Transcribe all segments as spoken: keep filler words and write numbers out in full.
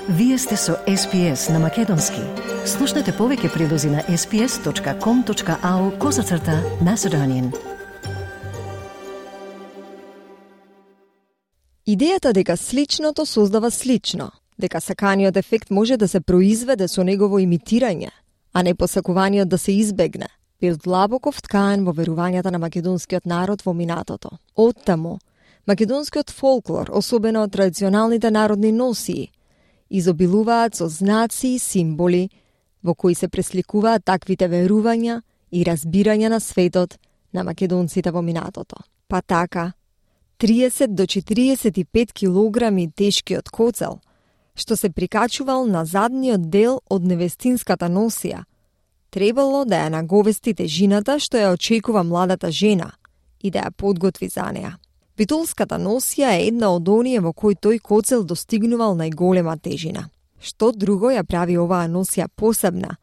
Вие сте со Ес Пи Ес на Македонски. Слушнете повеќе прилози на ес пи ес точка ком точка ау козацрта Macedonian. Идејата дека сличното создава слично, дека саканиот ефект може да се произведе со негово имитирање, а не посакуваниот да се избегне, бил длабоко вткаен во верувањата на македонскиот народ во минатото. Оттаму, македонскиот фолклор, особено традиционалните народни носии, изобилуваат со знаци и символи во кои се пресликуваат таквите верувања и разбирања на светот на македонците во минатото. Па така, триесет до четириесет и пет килограми тешкиот коцел, што се прикачувал на задниот дел од невестинската носија, требало да ја наговести тежината што ја очекува младата жена и да ја подготви за неа. Битолската носија е една од оние во кој тој коцел достигнувал најголема тежина. Што друго ја прави оваа носија посебна,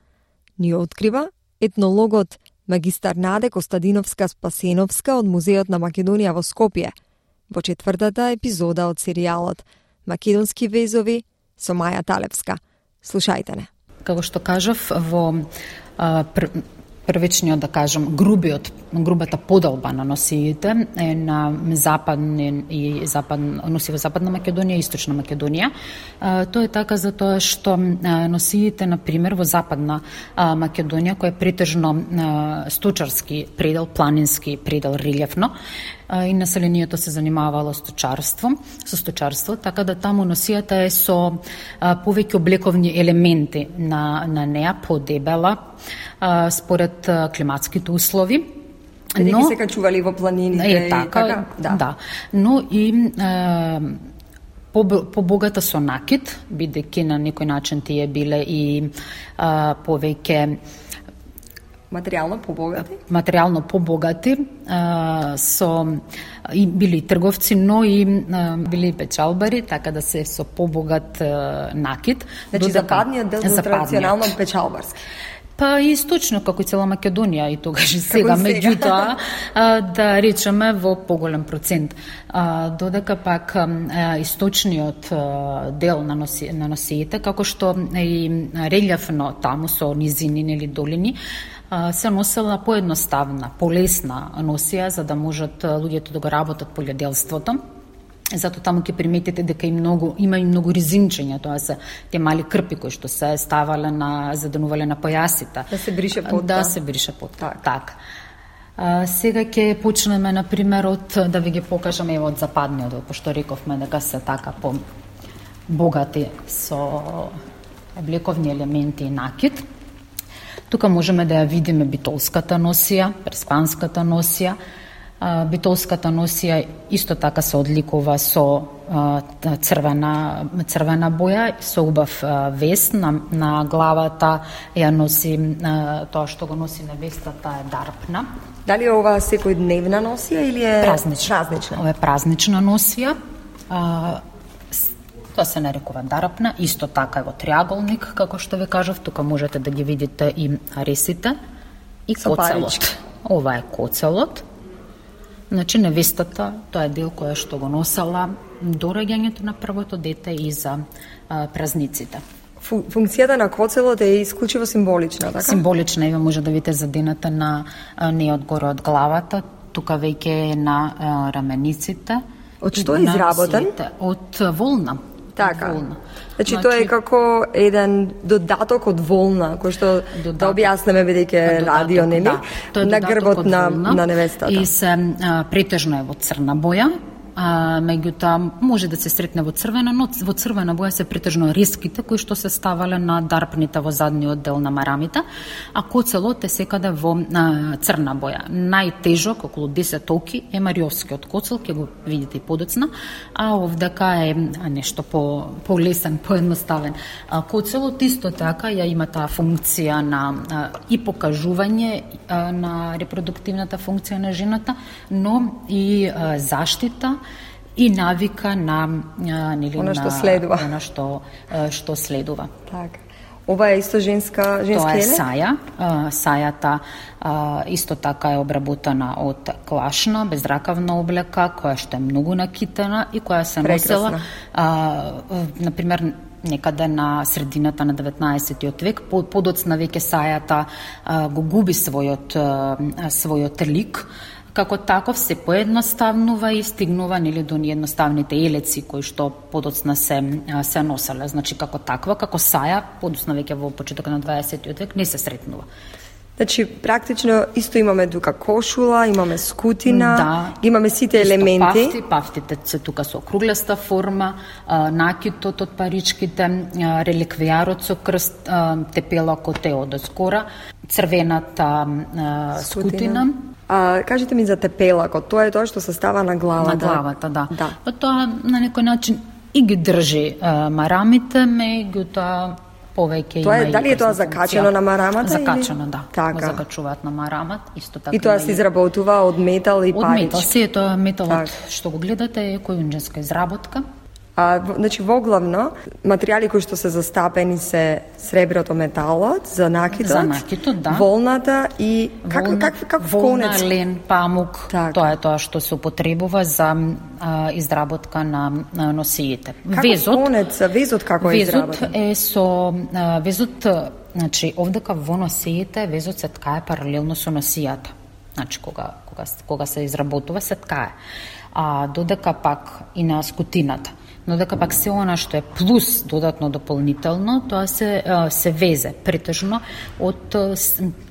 ни открива етнологот магистар Наде Костадиновска-Спасеновска од Музеот на Македонија во Скопје, во четвртата епизода од серијалот Македонски везови со Маја Талевска. Слушајте не. Како што кажав, во а, пр... првичниот, да кажам, грубиот, грубата подолба на носиите е на западни и запад, носи во Западна Македонија и Источна Македонија. А, тоа е така затоа што а, носиите, на пример, во Западна а, Македонија, која е претежно а, сточарски предел, планински предел, релјефно, и населението се занимавало сточарство, со сточарство, така да таму носијата е со а, повеќе облековни елементи на, на неа, подебела, а, според а, климатските услови. Дали ги се качували во планините? Е, така, и така? Да. да. Но и а, побогата со накид, бидејќи на некој начин тие биле и а, повеќе материјално побогати? Материјално побогати, а, со и били трговци, но и а, били печалбари, така да се со побогат а, накид. Значи додека, западниот дел во традиционално печалбарски. Па и источно, како и цела Македонија и тогаш и сега, меѓутоа, да речеме во поголем процент. А, додека пак а, источниот а, дел на, носи, на носиите, како што и релјефно таму со низини или долини, се носела поедноставна, полесна носија, за да можат луѓето да го работат полјоделството. Зато таму ќе приметите дека и многу, има и многу резинчења, тоа се те мали крпи кои што се ставале на, заденувале на појасите. Да се брише потта. Да се брише потта, така. А, сега ќе почнеме, на пример, од, да ви ги покажам, ево, од западниот, пошто рековме дека се така по богати со облековни елементи и накид. Тука можеме да ја видиме битолската носија, преспанската носија. Битолската носија исто така се одликува со црвена, црвена боја, со убав вес на, на главата, ја носи тоа што го носи невестата е дарпна. Дали е ова секојдневна носија или е празнична? празнична? Ова е празнична носија. Тоа се нарекува дарапна, исто така е во триаголник, како што ви кажав, тука можете да ги видите и аресите и со коцелот. парички. Ова е коцелот. Значи, невестата, тоа е дел која што го носела до раѓањето на првото дете и за а, празниците. Функцијата на коцелот е исклучиво символична, така? Символична, ева може да видите задената на а, не одгоре од главата, тука веќе е на а, рамениците. Од што е изработен? Од волна. Така. Волна. Значи, значи тоа е како еден додаток од волна, кој што додаток, да објаснеме бидејќи радио, нели? Да, на грбот на, на невестата. И се а, претежно е во црна боја, а, меѓутоа може да се сретне во црвена, но во црвена боја се претежно реските кои што се ставале на дарпните во задниот дел на марамите, а коцелот е секаде во а, црна боја. Најтежок, околу десет оки, е мариовскиот коцел, ќе го видите и подоцна, а овдека е нешто по полесен, поедноставен. А, коцелот исто така ја има таа функција на а, и покажување а, на репродуктивната функција на жената, но и а, заштита и навика на нели она што на, следува. Она што што следува. Така. Ова е исто женска женски Тоа е еле? саја. Сајата исто така е обработена од клашна, безракавна облека, која што е многу накитена и која се прекрасна. носела, а, на пример, некаде на средината на деветнаесеттиот век, подоцна веќе сајата а, го губи својот а, својот лик. Како таков се поедноставнува и стигнува нели до неедноставните елеци кои што подоцна се се носеле. Значи како таква, како саја, подоцна веќе во почетокот на дваесеттиот век не се сретнува. Значи, практично исто имаме тука кошула, имаме скутина, да, имаме сите елементи. Пафти, пафтите се тука со округласта форма, а, накитот од паричките, а, реликвијарот со крст, а, тепелакот е од скора, црвената а, скутина. скутина. А, кажете ми за тепелакот, тоа е тоа што се става на главата. На главата, да. да. Па тоа на некој начин и ги држи а, марамите, меѓутоа повеќе тоа има е, дали е тоа закачено на марамата? Закачено, или? да. Така. Го закачуваат на марамат, исто така. И тоа се изработува од метал и од парич. Од метал, се тоа металот так. што го гледате е којунџенска изработка. А, значи, воглавно, материјали кои што се застапени се среброто, металот, за накитот, за накитот, да. волната и как, волна, как, как волна, конец? лен, памук, так. Тоа е тоа што се употребува за а, изработка на, на носиите. Како везот, конец, везот како е изработен? Везот е со а, везот, значи овдека во носиите везот се ткае паралелно со носијата. Значи кога кога кога се изработува се ткае. А додека пак и на скутината. Но дека пак се она што е плюс додатно дополнително, тоа се се везе претежно од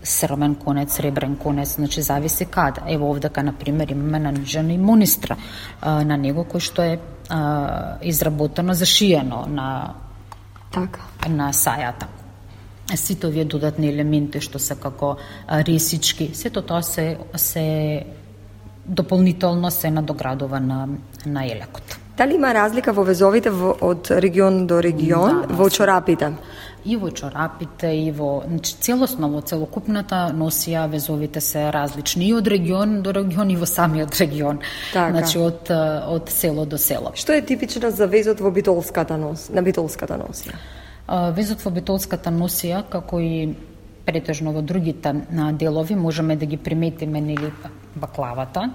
срмен конец, сребрен конец, значи зависи каде. Ево овдека на пример имаме нанижена и монистра на него кој што е а, изработено, зашиено на така на сајата. Сите овие додатни елементи што се како ресички, сето тоа се се дополнително се надоградува на на елекот. Дали има разлика во везовите во, од регион до регион, да, во чорапите? И во чорапите, и во... Значи, целосно, во целокупната носија, везовите се различни и од регион до регион и во самиот регион. Така. Значи, од, од село до село. Што е типично за везот во битолската нос, на битолската носија? Везот во битолската носија, како и претежно во другите делови, можеме да ги приметиме нели баклавата,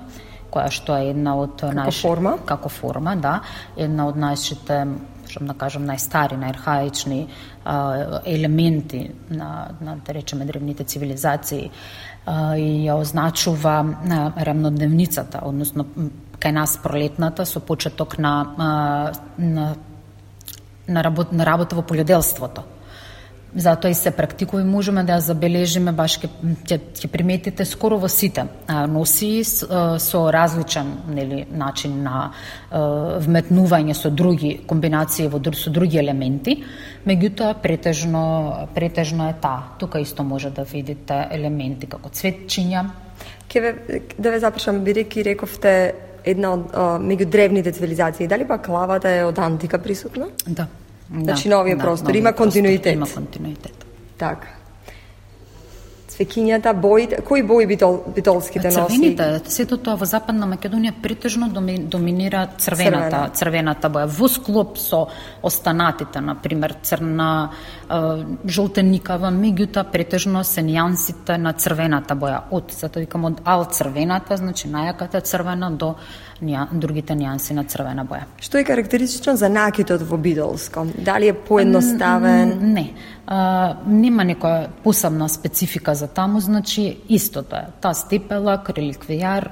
која што е една од како најш... форма, како форма, да, една од најшите, што да кажам, најстари, најархаични а, елементи на, на да речеме древните цивилизации а, и ја означува а, рамнодневницата, односно кај нас пролетната со почеток на а, на на работа, на работа во полјоделството. Затоа и се практикува и можеме да ја забележиме, баш ќе ќе приметите скоро во сите носи со, со различен нели начин на е, вметнување со други комбинации во со други елементи, меѓутоа претежно претежно е таа. Тука исто може да видите елементи како цветчиња. Ке ве да ве запрашам, бидејќи рековте една од меѓу древните цивилизации, дали баклавата е од антика присутна? Да. Значи да, новиот да, простор, новиот има континуитет. Простор, има континуитет. Така. Цвекињата, боите, кои бои битол, битолските носи? Црвените, сето тоа во Западна Македонија претежно доминира црвената, Црвена. црвената боја. Во склоп со останатите, на пример црна, жолтеникава, меѓутоа претежно се нијансите на црвената боја. Од, затоа викам, од ал црвената, значи најаката црвена до нијан, другите нијанси на црвена боја. Што е карактеристично за накитот во битолско? Дали е поедноставен? Не. А, нема некоја посебна специфика за таму, значи истото е. Таа степелак, реликвијар,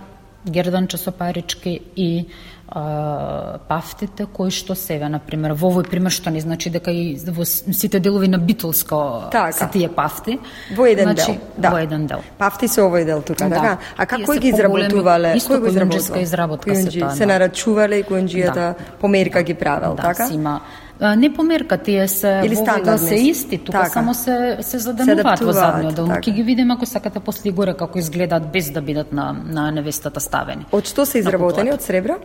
герданче со парички и а, пафтите кои што себе, на пример, во овој пример што не значи дека и во сите делови на битолско така. Се тие пафти. Во еден значи, дел, да. Во еден дел. Пафти се овој дел тука, да. така? А како Тие ги изработувале? Исто Кој го којунџеска изработка се тоа. Се нарачувале и којунџијата да. померка ги правел, да, така? Си има не померка, тие се или во се исти, тука така. Само се се заденуваат во задниот дел. Ќе ги видиме ако сакате после горе како изгледаат без да бидат на на невестата ставени. Од што се изработени? Од сребро?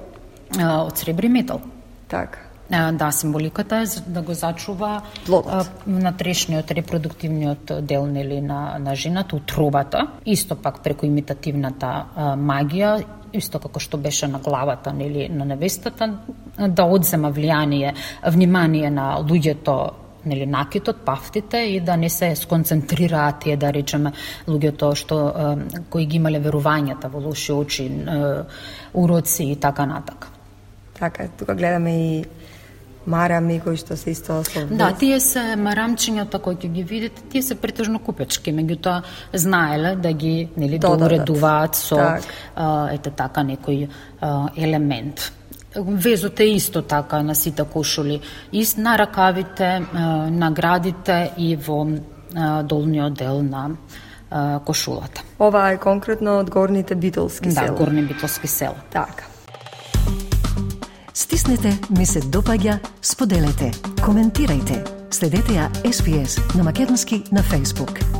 А, од сребро и метал. Така. А, да, символиката е да го зачува а, натрешниот репродуктивниот дел нели на на жената, утробата, исто пак преку имитативната а, магија, исто како што беше на главата нели на невестата, да одзема влијание, внимание на луѓето, нели накитот, пафтите и да не се сконцентрираат тие, да речеме, луѓето што а, кои ги имале верувањата во лоши очи, а, уроци и така натака. Така, тука гледаме и марами кои што се исто со вез. Да, тие се марамчињата кои ќе ги видите, тие се претежно купечки, меѓутоа знаеле да ги, нели, доуредуваат со так. а, ете така некој а, елемент. Везот е исто така на сите кошули, и на ракавите, на градите и во долниот дел на кошулата. Ова е конкретно од горните битолски села. Да, горни битолски села. Така. Стиснете, ми се допаѓа, споделете, коментирајте. Следете ја Ес Би Ес на македонски на Facebook.